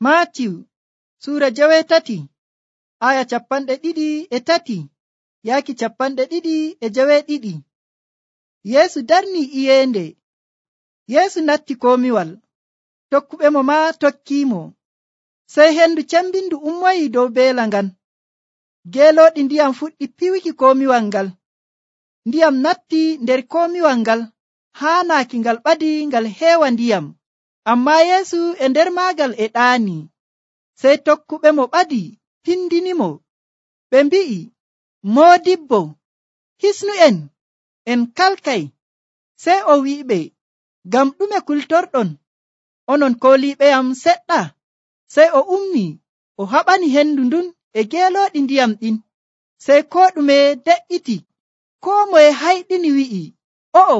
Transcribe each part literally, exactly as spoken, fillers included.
Maatiw suura jewetati aya capanɗe ɗiɗi e tati yaaki capanɗe ɗiɗi e jeweɗiɗi. Yeesu darni iyende. Yeesu natti komiwal, tokkuɓe mo ma tokkimo. Sey hendu cembindu ummoyi dow beela ngan. Geelooɗi ndiyam fuɗɗi piwiki komiwal ngal. Ndiyam natti nder komiwal ngal, haanaaki ngal ɓadi ngal heewa ndiyam. Ammaa Yeesu e nder maagal e ɗaani. Sey tokkuɓe mo ɓadi pindinimo, ɓe mbi'i, Moodibbo, hisnu en, en kalkay. Sey o wi'iɓe, ngam ɗume kultorɗon, onon kooliiɓeyam seɗɗa? Sey o ummi, o haɓani hendu ndun e geelooɗi ndiyam ɗin. Sey koo ɗume de'iti. Koo moye hayɗini wi'i, o'o,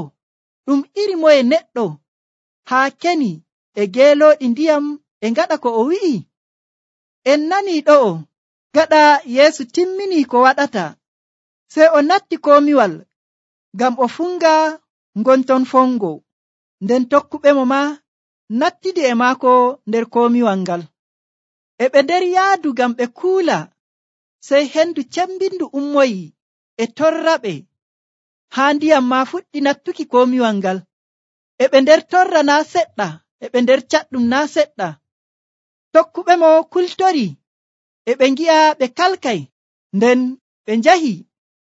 ɗum iri moye neɗɗo haa keni e geelooɗi ndiyam e ngaɗa ko o wi'i? En nanii ɗo'o. Gaɗa Yeesu timmini ko waɗata, sey o natti komiwal ngam o funga ngonton fongo. Nden tokkuɓe mo ma nattidi e maako nder komiwal ngal. E ɓe nder yaadu ngam ɓe kuula, sey hendu cembindu ummoyi e torraɓe, haa ndiyam ma fuɗɗi nattuki komiwal ngal. E ɓe nder torra naa seɗɗa, e ɓe nder caɗɗum naa seɗɗa. Tokkuɓe mo kultori, e ɓe ngi'a ɓe kalkay. Nden ɓe njahi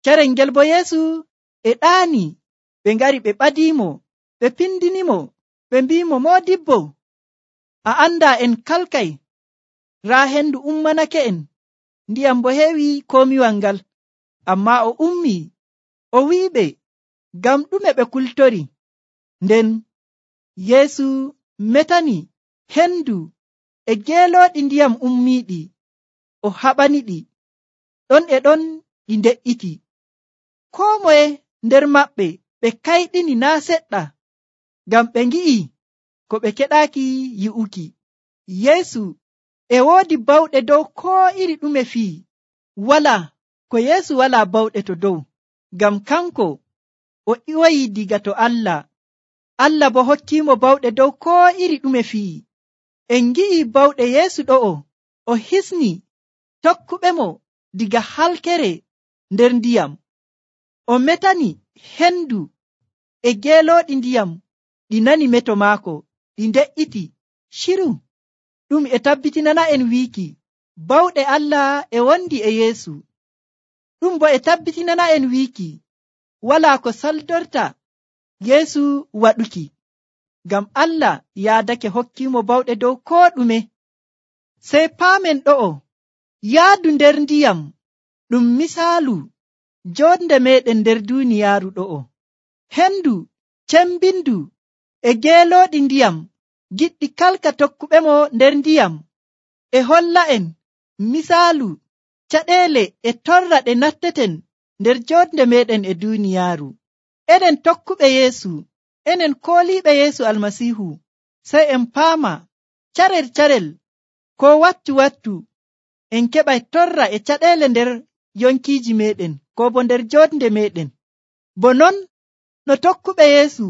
carel ngel bo Yeesu e ɗaani. Ɓe ngari ɓe ɓadimo, ɓe pindinimo, ɓe mbimo, Moodibbo, a anda en kalkay. Raa hendu ummanake en, ndiyam bo heewi komiwal ngal. Ammaa o ummi, o wi'iɓe, ngam ɗume ɓe kultori. Nden Yeesu metani hendu e geelooɗi ndiyam ummiiɗi, o haɓaniɗi, ɗon e ɗon ɗi nde'iti. Koo moye nder maɓɓe ɓe kayɗini naa seɗɗa, ngam ɓe ngi'i ko ɓe keɗaaki yi'uki. Yeesu e woodi bawɗe dow koo iri ɗume fii. Walaa ko Yeesu walaa bawɗe to dow, ngam kanko o iwoyi diga to Allah. Allah bo hokkiimo bawɗe dow koo iri ɗume fii. En ngi'i bawɗe Yeesu ɗo'o, o hisni tokkuɓe mo diga halkere nder ndiyam. O metani hendu e geelooɗi ndiyam ɗi nani meto maako, ɗi nde'iti shiru. Ɗum e tabbitinana en wiiki bawɗe Allah e wondi e Yeesu. Ɗum bo e tabbitinana en wiiki walaa ko saldorta Yeesu waɗuki, ngam Allah yaadake hokkiimo bawɗe dow koo ɗume. Sey paamen ɗo'o, yaadu nder ndiyam ɗum misaalu jonde meɗen nder duuniyaaru ɗo'o. Hendu cembindu e geelooɗi ndiyam giɗɗi kalka tokkuɓe mo nder ndiyam e holla en misaalu caɗeele e torra ɗe natteten nder jonde meɗen e duuniyaaru. Enen tokkuɓe Yeesu, enen kooliiɓe Yeesu Almasiihu, sey en paama carel carel ko wattu wattu en keɓay torra e caɗeele nder yonkiiji meɗen, ko bo nder jonde meɗen. Bo non no tokkuɓe Yeesu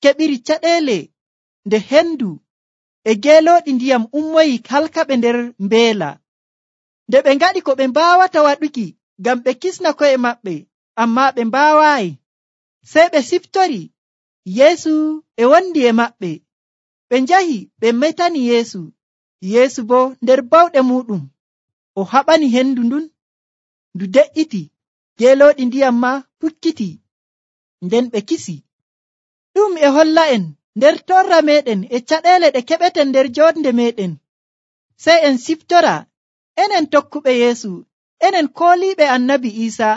keɓiri caɗeele nde hendu e geelooɗi ndiyam ummoyi halkaɓe nder mbeela. Nde ɓe ngaɗi ko ɓe mbaawata waɗuki ngam ɓe kisna ko'e maɓɓe, ammaa ɓe mbaawaayi. Sey ɓe siftori Yeesu e wondi e maɓɓe. Ɓe njahi ɓe metani Yeesu. Yeesu bo nder bawɗe muɗum o haɓani hendu ndun, ndu de'iti, geelooɗi ndiyam ma fukkiti. Nden ɓe kisi. Ɗum e holla en nder torra meɗen e caɗeele ɗe keɓeten nder jonde meɗen. Sey en siftora, enen tokkuɓe Yeesu, enen kooliiɓe Annabi Iisa,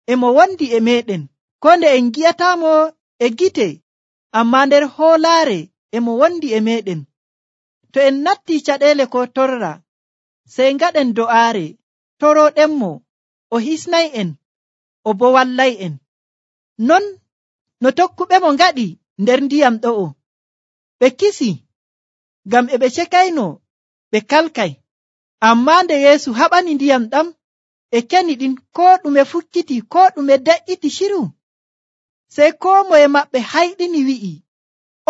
e mo wondi e meɗen, ko nde en gi'ataamo e gite, ammaa nder hoolaare e mo wondi e meɗen. To en natti caɗeele ko torra, sey ngaɗen do'aare, torooɗenmo, o hisnay'en, o bo wallay'en. Non no tokkuɓe mo ngaɗi nder ndiyam ɗo'o. Ɓe kisi, ngam e ɓe cekayno ɓe kalkay. Ammaa nde Yeesu haɓani ndiyam ɗam e keni ɗin, koo ɗume fukkiti, koo ɗume de'iti shiru. Sey koo moye maɓɓe hayɗini wi'i,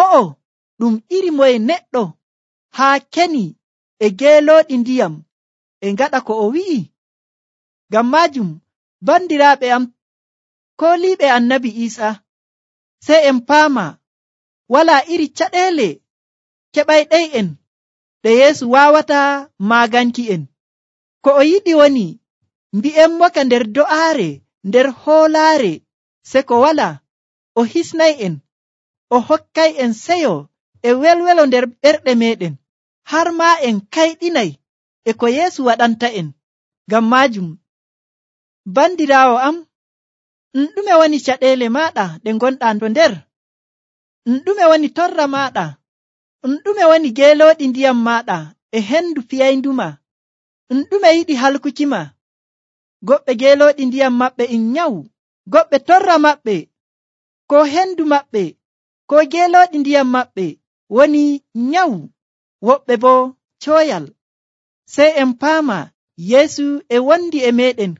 o'o, ɗum iri moye neɗɗo haa keni e geelooɗi ndiyam e ngaɗa ko o wi'i? Ngam maajum, bandiraaɓe am kooliiɓe annabi Iisa, sey en paama walaa iri caɗeele keɓayɗey'en ɗe Yeesu waawata maaganki'en. Ko o yiɗi woni mbi'enmoka nder do'aare, nder hoolaare, se ko walaa o hisnay'en, o hokkay'en seyo e welwelo nder ɓerɗe meeɗen, har maa en kayɗinay e ko Yeesu waɗanta'en. Ngam maajum, bandiraawo am, ɗum ɗume woni caɗeele maaɗa ɗe ngonɗaa to nder? ɗum ɗume woni torra maaɗa? ɗum ɗume woni geelooɗi ndiyam maaɗa e hendu piyaynduma? ɗum ɗume yiɗi halkukima? Goɓɓe geelooɗi ndiyam maɓɓe in nyawu, goɓɓe torra maɓɓe, ko hendu maɓɓe, ko geelooɗi ndiyam maɓɓe woni nyawu, woɓɓe boo cooyal. Sey en paama Yeesu e wondi e meeɗen,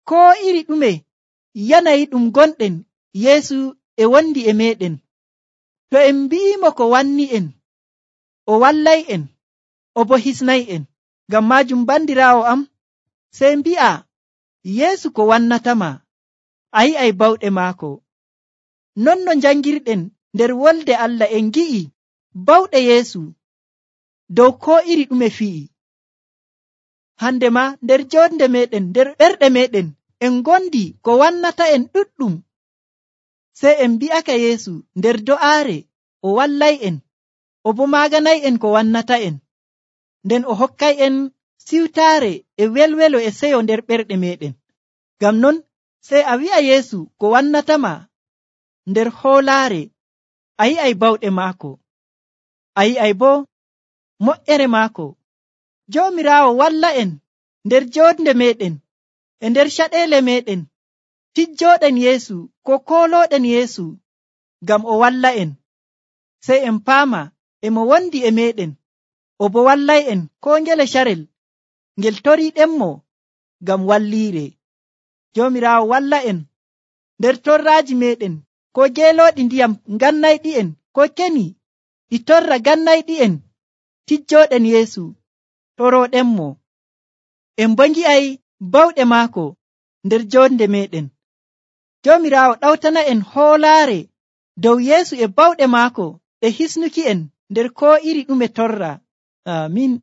koo iri ɗume yanayi ɗum gonɗen, Yeesu e wondi e meeɗen. To en mbi'imo ko wanni'en, o wallay'en, o boo hisnay'en. Ngam maajum bandiraawo am, sey mbi'a Yeesu ko wannatama, a yi'ay bawɗe maako. Non no njangirɗen nder wolde Allah en ngi'i bawɗe Yeesu dow koo iri ɗume fi'i. Hande ma nder jonde meɗen, nder ɓerɗe meɗen, en gondi ko wannata'en ɗuɗɗum. Sey en mbi'aka Yeesu nder do'aare o wallay'en, o boo maaganay'en ko wannata'en, nden o hokkay'en siwtaare e welwelo e seyo nder ɓerɗe meɗen. Ngam non sey a wi'a Yeesu ko wannatama nder hoolaare, a yi'ay bawɗe maako, a yi'ay boo moƴƴere maako. Joomiraawo walla'en nder jonde meɗen e nder caɗeele meɗen, tijjooɗen Yeesu ko koolooɗen Yeesu ngam o walla'en. Sey en paama e mo wondi e meɗen, o boo wallay'en koo ngele carel ngel toriiɗenmo ngam walliire. Joomiraawo walla'en nder torraaji meɗen, ko geelooɗi ndiyam ngannayɗi'en, ko keni ɗi torra ngannayɗi'en, tijjooɗen Yeesu torooɗenmo. En boo ngi'ay bawɗe maako nder jonde meɗen. Joomiraawo ɗawtana'en hoolaare dow Yeesu e bawɗe maako ɗe hisnuki'en nder koo iri ɗume torra. Aamin.